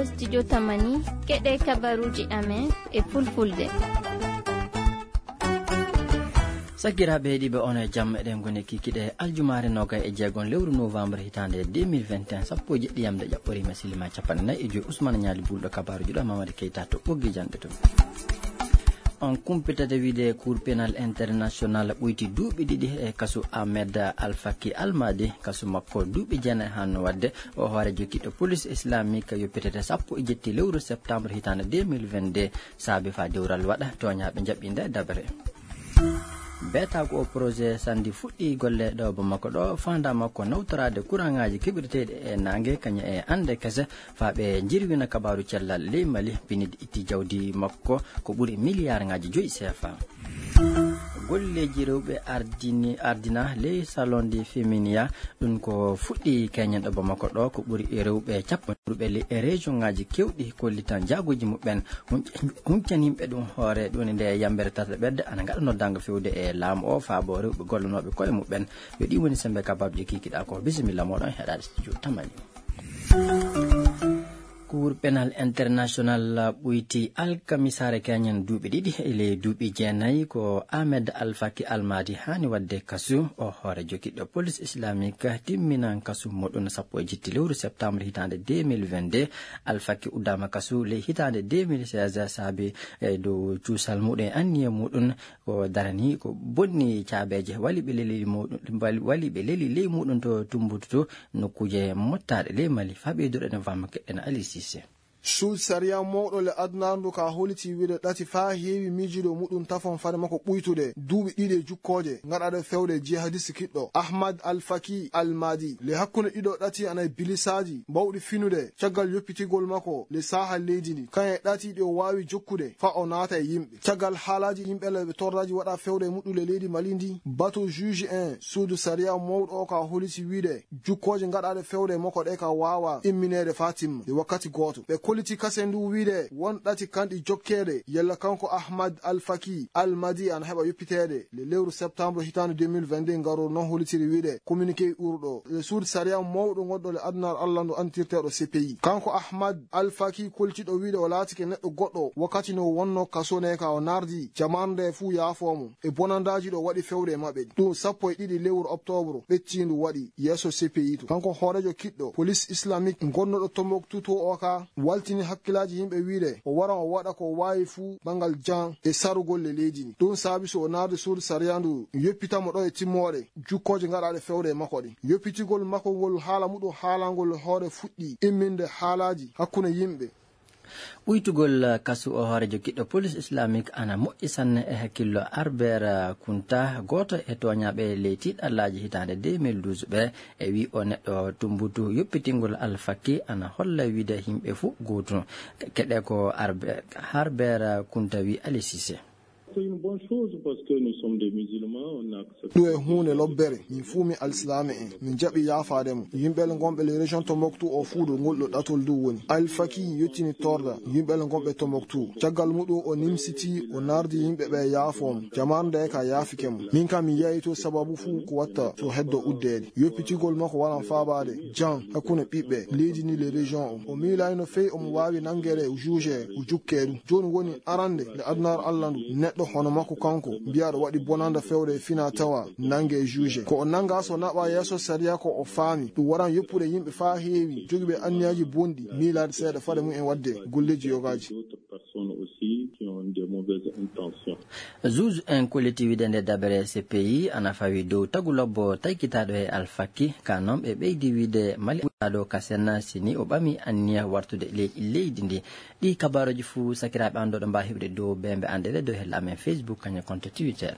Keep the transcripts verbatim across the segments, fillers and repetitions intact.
Studio Tamani, keɗe kabaruji amen e fulfulde. Sakiraaɓe heɗiiɓe, on e jam. Eɗen ngoni kikiɗe aljumaare nogay e jeegon lewru novembre hitaande deux mille vingt et un, sappo e jeɗɗi yamde ƴaɓɓoriima silima capanɗe nayi e joyi. Ousmane Ñaali Bulɗo, kabaaruji ɗo Mamadi Keita to ɓoggi janɗe to. On kumpitata wiide Cour pénal international ɓoyti duuɓi ɗiɗi e kasu Ahmed Alfaki Almadi. Kasu makko duuɓi jeenayi hanno waɗde. O hoorejo kiɗɗo police islamique yoppitete sappo e jetti lewru septembre hitaande deux mille vingt-deux. Saabi fa dewral waɗa, tooñaaɓe njaɓɓinde dabere. Beeta ko o projet Sandi fuɗɗi golle ɗo Bamako ɗo, faandaama ko nawtoraade kuraŋaaji keɓirteeɗi e naange, kañum e annde kese, faa ɓe njirwina kabaaru cellal ley Mali. Pinidi itti jawdi makko ko ɓuri miliyaarŋaaji joyi C F A. Golleeji rewɓe ardini, ardina ley Salon de Feminia, ɗum ko fuɗɗi keñen ɗo Bamako ɗo, ko ɓuri rewɓe cappanɗe rewɓe ley e région ŋaaji keewɗi kollitan jaaguuji muɓɓen. Hunc-, huncani yimɓe ɗum hoore, ɗum nde yambere tata ɓedde ana ngaɗa noddaango fewde e laamu o, faabo rewɓe gollanooɓe koye muɓɓen. Yo ɗi woni sembe kabaaruji kikiɗa ko. Bisimilla moɗon heɗaade studio Tamani. Cour pénal international ɓoyti alkamisaare keñen duuɓi ɗiɗi e ley duuɓi jeenayi ko Ahmed Alfaki Almadi haani waɗde kasu. O hoorejo kiɗɗo police islamique timminan kasu muɗum sappo e jetti lewru septembre hitaande deux mille vingt-deux. Alfaki uddaama kasu ley hitaande deux mille seize saabi e dow cuusal muɗum e anniya muɗum ko darani ko bonni caabeeje waliɓe leli muɗum, wali-, waliɓe leli ley muɗum to Tumbutu to nokkuuje mottaaɗe ley Mali. Faa ɓeyduɗo ene famma keɗɗen Ali Cissé. Suudu sariya mawɗo le adunaaru ndu ka holliti wiide ɗati faa heewi miijiiɗo muɗum tafon fade makko ɓuytude duuɓi ɗiɗi e jukkooje ngaɗaaɗe fewde jihadiste kiɗɗo Ahmad Al Faki Al Madi. Le hakkunde ɗiɗo ɗati ana e bilisaaji bawɗi finude caggal yoppitigol makko le saaha leydi ndi. Kañum e ɗati ɗi o waawi jokkude faa o naata e yimɓe. Caggal haalaaji yimɓe le ɓe tordaaji waɗa fewde e muɗɗule leydi Mali ndi, bato juge en suudu sariya mawɗo o ka holliti wiide jukkooje ngaɗaaɗe fewde e makko ɗe ka waawa immineede faa timma e wakkati gooto. Ɓe kolliti kasen ndu wiide won ɗati kanɗi jokkeede yalla kanko Ahmad Al Faki Al Madi ana heɓa yoppiteede le lewru septembre hitaande deux mille vingt-deux ngarooru non hollitiri wiide communiqué urɗo le suudu sariya mawɗo ngonɗo le adunaaru Allah ndu antirteeɗo C P I. Kanko Ahmad Al Faki kollitiiɗo wiide o laatike neɗɗo goɗɗo wakkati no wonno kaso ne ka o nardi jamaanu nde fuu yaafoo mo e bonandaaji ɗo waɗi fewde e maɓɓe ɗi. Ɗum sappo e ɗiɗi lewru octobre ɓettiindu waɗi yeeso C P I to. Kanko hooreejo kiɗɗo police islamique gonnoɗo Tombouctou to o ka waltini hakkilaaji yimɓe wiide o wara o waɗa ko waawi fuu banngal jan e sarugol le leydi ndi. Ɗum saabi so o nardi suudu sariya ndu yoppita mo ɗo e timmoore jukkooje ngaɗaaɗe fewde e makko ɗin. Yoppitigol makko ngol haala muɗum haalangol hoore fuɗɗi imminde haalaaji hakkunde yimɓe. Ɓuytugol kasu o hooreejo kiɗɗo police islamique ana moƴƴi sanne e hakkillo Harbert Kunta, gooto e tooñaaɓe ley tiiɗallaaji hitaande deux mille douze ɓe, e wi o neɗɗo Tumbutu. Yoppitingol Al Faki ana holla wiide yimɓe fuu gootum. Keɗe ko Arbe-, Harbert Kunta wi Ali Cissé. C'est une bonne chose parce que nous sommes des musulmans, on a accepté. Ɗum e huunde lobbere, min fuu min alsilaame en, min jaɓi yaafaade mo. Yimɓe le ngonɓe le région Tombouctou o fuu ɗo ngol ɗo ɗatol dow woni. Al Faki yottini torda yimɓe le ngonɓe Tombouctou. Caggal muɗum o nimsiti, o nardi yimɓe ɓe yaafoo mo. Jamaanu nde ka yaafike mo. Min kam mi yi'aay to sababu fuu ko watta so heddo uddeede. Yoppitigol makko waran faabaade jan hakkunde ɓiɓɓe leydi ndi le région o. O miilaay no feewi omo waawi nanngeede juge o jukkee ɗum. Jooni woni arande nde adunaaru Allah ndu, neɗɗo hono makko kanko, mbiyaaɗo waɗi bonanda fewde e fina tawa, nannge juge. Ko o nannga so naɓa yeeso sariya ko o faami. Ɗum waran yoppude yimɓe faa heewi, jogiiɓe anniyaaji bonɗi, miilaade seeɗa fade mum en waɗde golleeji yogaaji. D'autres personnes aussi qui ont des mauvaises intentions. Juge en kolliti wiide nde dabere C P I ana fawi dow tagu lobbo taykitaaɗo e Al Faki. Ka noon ɓe ɓeydi wiide Mali ɓurɗaaɗo ka senna si ni o ɓami anniya wartude ley-, leydi ndi. Ɗi kabaaruuji fuu, sakiraaɓe, an ɗo ɗo mbaawi heɓde dow beembe an ɗeɗe dow hella amen Facebook, kañum e compte Twitter.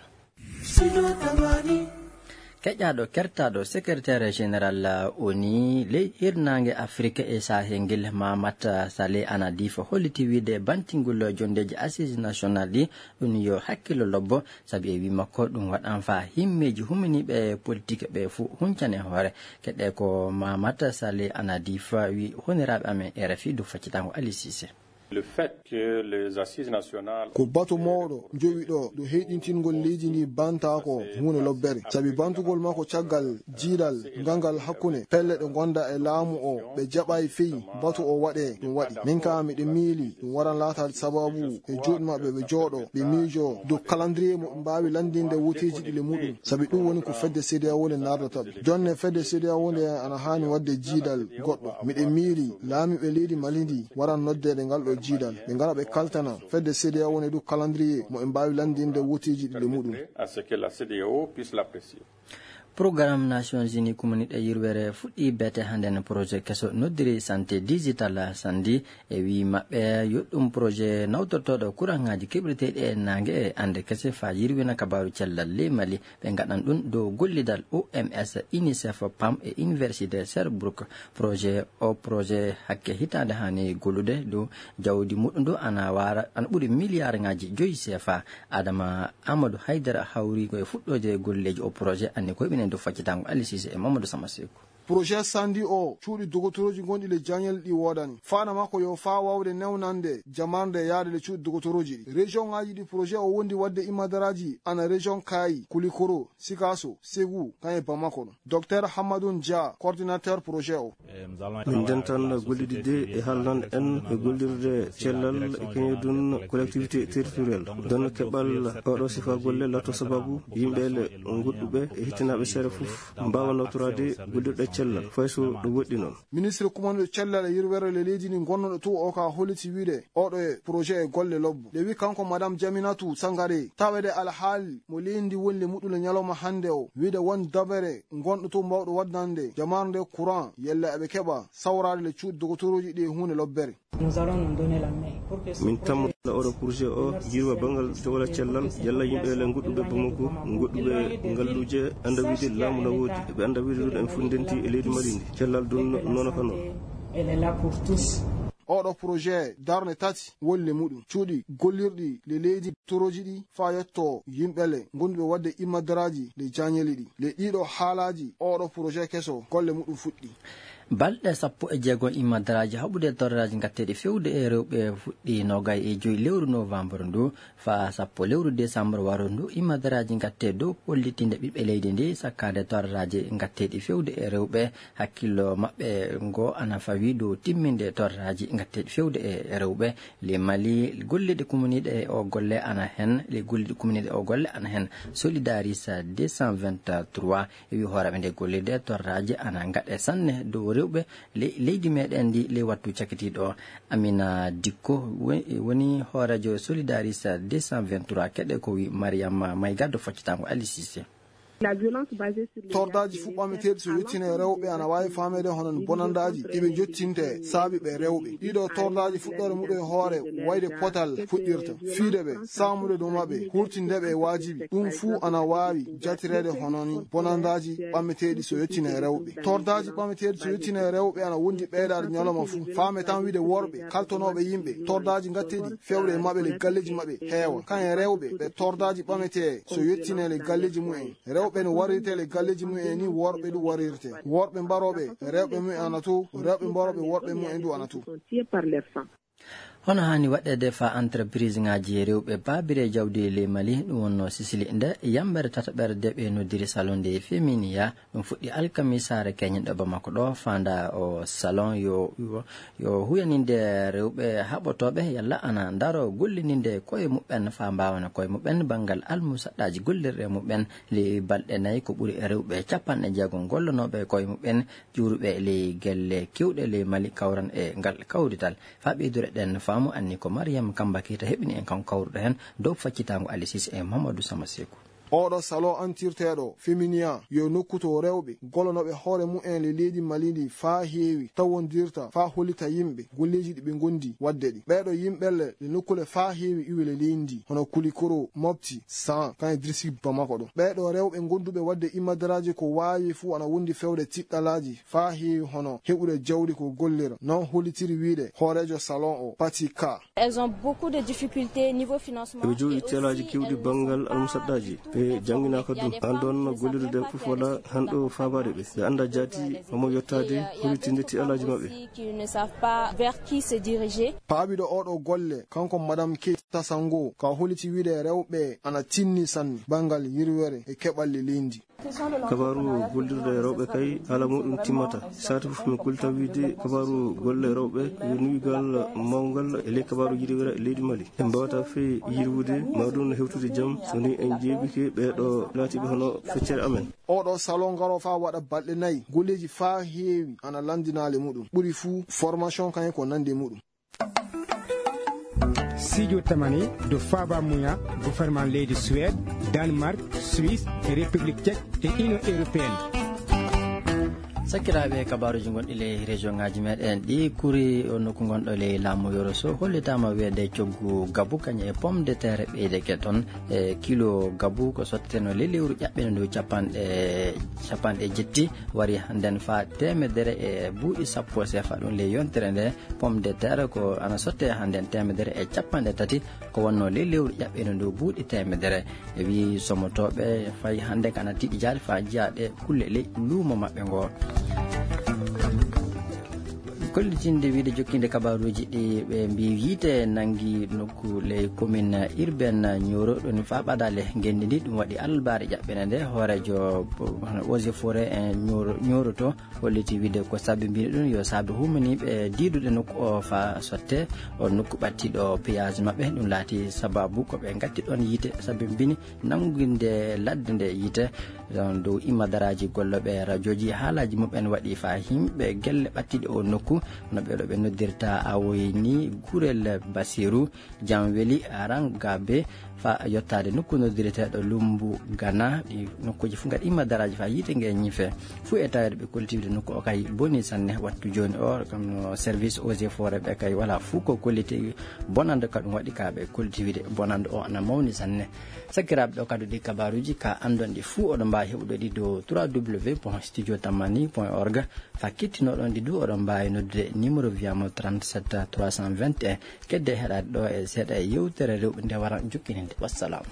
Keƴaaɗo kertaaɗo secrétaire général ONU ley hirnaange Afrik e Sahel ngel, Mamata Saleh Anadif, holliti wiide bantingol jonndeeji Assises nationales ɗi, ɗum yo hakkillo lobbo, sabi e wii makko ɗum waɗan faa himmeeji huminiiɓe politik ɓe fuu huncane hoore. Keɗe ko Mamata Saleh Anadif wii honoraaɓe amen R F I dow faccitango Ali Cissé. Le fait que les assises nationales Ko batu mawɗo jowi ɗo dow heyɗintingol leydi ndi bantaako huunde lobbere. Sabi bantugol makko caggal jiidal ngal ngal hakkunde pelle ɗe ngonda e laamu o, ɓe jaɓaay fey batu o waɗe, ɗum waɗi. Min ka miɗo miili ɗum waran laataade sababu e juuɗe maɓɓe ɓe jooɗo, ɓe miijo dow calendrier mo ɓe mbaawi lanndinde wooteeji ɗi le muɗum. Sabi ɗum woni ko fedde C D A O nde nardata ɓe. Jonne fedde C D A O nde ana haani waɗde jiidal goɗɗo. Miɗo miili laamiiɓe leydi Mali ndi waran noddeede ngal ɗo jiidal. Ɓe ngara ɓe kaltana fedde C D A O nde dow calendrier mo ɓe mbaawi lanndinde wooteeji ɗi le muɗum. À ce que la C D A O puisse l'apprécier. Programme Nations Unies kumaniɗe yirwere fuɗɗi beete hannde no projet keso noddiri santé digital sandi e wi maɓɓe yo ɗum projet nawtortooɗo kuraŋaaji keɓirteeɗi e naange e annde kese faa yirwina kabaaru cellal ley Mali. Ɓe ngaɗan ɗum dow gollidal O M S, UNICEF, pam e Université Sherbrooke. Projet o projet hakke hitaande haani gollude dow jawdi muɗum dow ana waara ana ɓuri miliyaarŋaaji joyi C F A. Adama Amadou Haydara hawri ko e fuɗɗoode golleeji o projet anni koye ɓinen dow faccitango Aliou Cissé e Mamadou Sama Seku. Projet sandi o cuuɗi dogotorooji gonɗi le jañel ɗi woodani. Faana makko yo faa wawde newnande jamarnde yaade le cuuɗi dogotorooji ɗi. Région ŋaaji ɗi projet o wondi wadde imadaraaji ana région Kaayi, Kulikoro, Sikaso, Segu, kan e Bamako ɗo. Docteur Hammadou Dia, coordinateur projet o. Min dentan golliɗi de e haalnan en e gollirde cellal e keñodun collectivité territorial. Donno keɓal oɗo sifa golle lato sababu yimɓe le goɗɗuɓe e hittinaaɓe seere fof mbaawa nawtoraade gollirɗe cellal fay so ɗo woɗɗi noon. Ministre kumanɗo cellal e yirwere le leydi ndi gonnoɗo to o ka holliti wiide oɗo e projet e golle lobbo. Nde wi kanko Madame Jaminatou Sangaré, tawede alhaali mo leydi ndi woni le muɗɗule ñalawma hannde o, wiide won dabere gonɗo to mbawɗo waddande jamaare nde courant, yalla eɓe keɓa sawraade le cuuɗi dogotorooji ɗi e huunde lobbere. Nous allons nous donner la main pour que ce Min projet tammo la oɗo projet o yirwa bangal dowla cellal, yalla yimɓe le goɗɗuɓe Bamako, goɗɗuɓe ngalluuje annda wiide laamu na woodi, ɓe annda wiide ɗum en fof ndenti e leydi Mali ndi. Cellal ɗum nono kano. Elle est là pour tous. Oɗo projet darne tati woni le muɗum. Cuuɗi gollirɗi le leydi torooji ɗi faa yetto yimɓe le gonduɓe wadde immadaraaji le jañeli ɗi. Le ɗiɗo haalaaji oɗo projet keso golle muɗum fuɗɗi. Balɗe sappo e jeego immadaraaji haɓude torraaji ngatteeɗi fewde e rewɓe fuɗɗi nogay e joyi lewru novembre ndu faa sappo lewru décembre waro ndu. Immadaraaji ngattee dow pollitinde ɓiɓɓe leydi ndi sakkaade torraaji ngatteeɗi fewde e rewɓe hakkillo maɓɓe ngo ana fawi dow timminde torraaji ngatteeɗi fewde e rewɓe. Le Mali, golliɗe kumaniɗe o golle ana hen, le golliɗe kumaniɗe o golle ana hen. Solidaris deux cent vingt-trois e wi hooreɓe nde gollirde torraaji ana ngaɗe sanne dow rewɓe le-, leydi meɗen ndi le wattu cakitiɗo. Amina Dikko wo-, woni hoorejo Solidaris deux cent vingt-trois keɗe ko wi Mariama Mayga do foccitango Ali Cissé. La violence basée sur les Tordaaji genres fuɓɓameteeɗi so yettina e rewɓe ana waawi faameede hono bonandaaji ɗi ɓe jottinte saabi ɓe rewɓe. Ɗiɗo tordaaji fuɗɗoore muɗum e hoore wayde potal fuɗɗirta. Fiide ɓe, saamude dow maɓɓe, hurtinde ɓe e waajibi. Ɗum fuu ana waawi jatireede hono ni bonandaaji ɓammeteeɗi so yettina e rewɓe. Tordaaji ɓammeteeɗi so yettina e rewɓe ana wondi ɓeydaade ñalawma fuu. Faame tan wiide worɓe kaltonooɓe yimɓe, tordaaji ngatteeɗi fewde e maɓɓe le galleeji maɓɓe heewa. Kan e rewɓe ɓe tordaaji ɓametee so yettinee le galleeji mumen. Rewɓe no warirtee le galleeji mumen ni worɓe ɗum warirtee. Worɓe mbarooɓe rewɓe mumen ana to, rewɓe mbarooɓe worɓe mumen du ana to. Hono haani waɗeede faa entreprise ŋaaji rewɓe baabire jawdi ley Mali, ɗum wonno Sisili nde yambere tataɓere de ɓe noddiri salon de Feminiya. Ɗum fuɗɗi alkamisaare keñen ɗo Bamako ɗo, faanda o salon yo, yo, yo huyaninde rewɓe haɓotooɓe yalla ana ndaro gollininde koye muɓɓen faa mbaawana koye muɓɓen banngal almusaɗɗaaji gollirɗe muɓɓen. Ley balɗe nayi ko ɓuri e rewɓe capanɗe jeego gollonooɓe koye muɓɓen ƴuuruɓe ley gelle kewɗe ley Mali kawran e ngal kawrital. Faa ɓeydureɗen faamu anni ko Mariam Kamba Keita heɓini en kanko kawruɗo heen dow faccitaango Ali Cissé e Mamadou Sama Seku. Oɗo salon antirteeɗo Feminiya yo nokku to rewɓe gollanooɓe hoore mumen le leydi Mali ndi faa heewi tawondirta faa hollita yimɓe golleeji ɗi ɓe ngondi waɗde ɗi. Ɓeeɗo yimɓe le, le nokkule faa heewi iwi le leydi ndi, hono Kulikoro, Mopti, San, kan e district Bamako ɗo. Ɓeeɗo rewɓe gonduɓe waɗde imadaraaji ko waawi fuu ana wondi fewde tiɗɗalaaji faa heewi hono heɓude jawdi ko gollira. Non hollitiri wiide hooreejo salon o, Pati Ka. Elles ont beaucoup de difficultés niveau financement. Eɓe jogii et aussi, teelaaji keewɗi elles ne banngal sont pas almusaɗɗaaji. E jannginaaka ɗum, an ɗoon gollirde fof wala hanɗo faabaade ɓe. Ɓe annda jaati homo yottaade, holi tinde ti alaaji maɓɓe. Paaɓiɗo oɗo golle, kanko Madame Keita Sango, ka holiti wiide rewɓe ana tinni sanne banngal yirwere e keɓalle leydi. Kabaaru gollirde e rewɓe kay, haala muɗum timmata. Saatu fof min kullita wiide kabaaru golle rewɓe yo nuwigal mawngal e ley kabaaru yirwere leydi Mali. En mbawata fey yirwude ma ɗum no hewtude jam so ni en jeebike ɓeeɗo laatiiɓe hono feccere amen. Oɗo salon ngaro fa waɗa balɗe nayi, golleji fa heewi ana landinaale muɗum. Ɓuri fuu formation kayen ko nandi e muɗum. Sijo tamani do faba muya gouvernement leydi Suède, Danemark, Suisse, e République Tchèque e Union Européenne. Sakiraaɓe, kabaaruuji gonɗi ley région ŋaaji meɗen ɗi, kuri o nokku gonɗo ley laamu Yoro Sow hollitaama weede coggu gabu kañum e pomme de terre ɓeydeke toon. E kilo gabu ko sotteno ley lewru ƴaɓɓene ndu capanɗe, capanɗe jetti, wari hannden fa teemedere e buuɗi sappo sefa ɗum ley yontere nde. Pomme de terre ko ana sotte hannden teemedere e capanɗe tati, ko wonno ley lewru ƴaɓɓene ndu buuɗi teemedere. E wi somotooɓe fay hannde kana tiɗi jaali fa jiya ɗe kulle ley luumo maɓɓe ngo. Kollitinde wiide jokkinde kabaaruuji ɗi, ɓe mbi yiite nangi nokku ley commune urbaine Nioro ɗon fa ɓadale ngenndi ndi, ɗum waɗi albaare ƴaɓɓene nde hooreejo eaux et forêt e Nioro, Nioro to holliti wiide ko sabi mbino ɗum yo saabe humaniiɓe diiduɗe nokku o fa sotte o nokku ɓattiɗo péage maɓɓe. Ɗum laati sababu ko ɓe ngatti ɗon yiite sabi mbini nanginde ladde nde yiite. Ɗon dow imma daraaji gollooɓe rajooji, haalaaji muɓɓen waɗi fa yimɓe gelle ɓattiɗe o nokku, no ɓeɗo ɓe noddirta awoy ni Gurel Basiru, Janweli, Rangabe, fa yottaade nokku noddireteeɗo Lumbu Gana. Ɗi nokkuuji fof ngaɗi imma daraaji fa yiite nge ñife. Fuu e taweede ɓe kolliti wiide nokku o kay boni sanne wattu jooni o, kono service eaux et forêt ɓe kay wala fuu ko kolliti bonande ka ɗum waɗi ka ɓe kolliti wiide bonande o ana mawni sanne. Sakiraaɓe, ɗo kadi ɗi kabaaruuji ka anndon ɗi fuu oɗon mbaawi heɓude ɗi dow trois W point studio tamani point org. Fa kittinoɗon ɗi du oɗon mbaawi noddude numéro wiyamo trente-sept trois cent vingt et un. Kedde heɗaade ɗo e seeɗa e yewtere rewɓe nde wara jokkininde. Wassalam.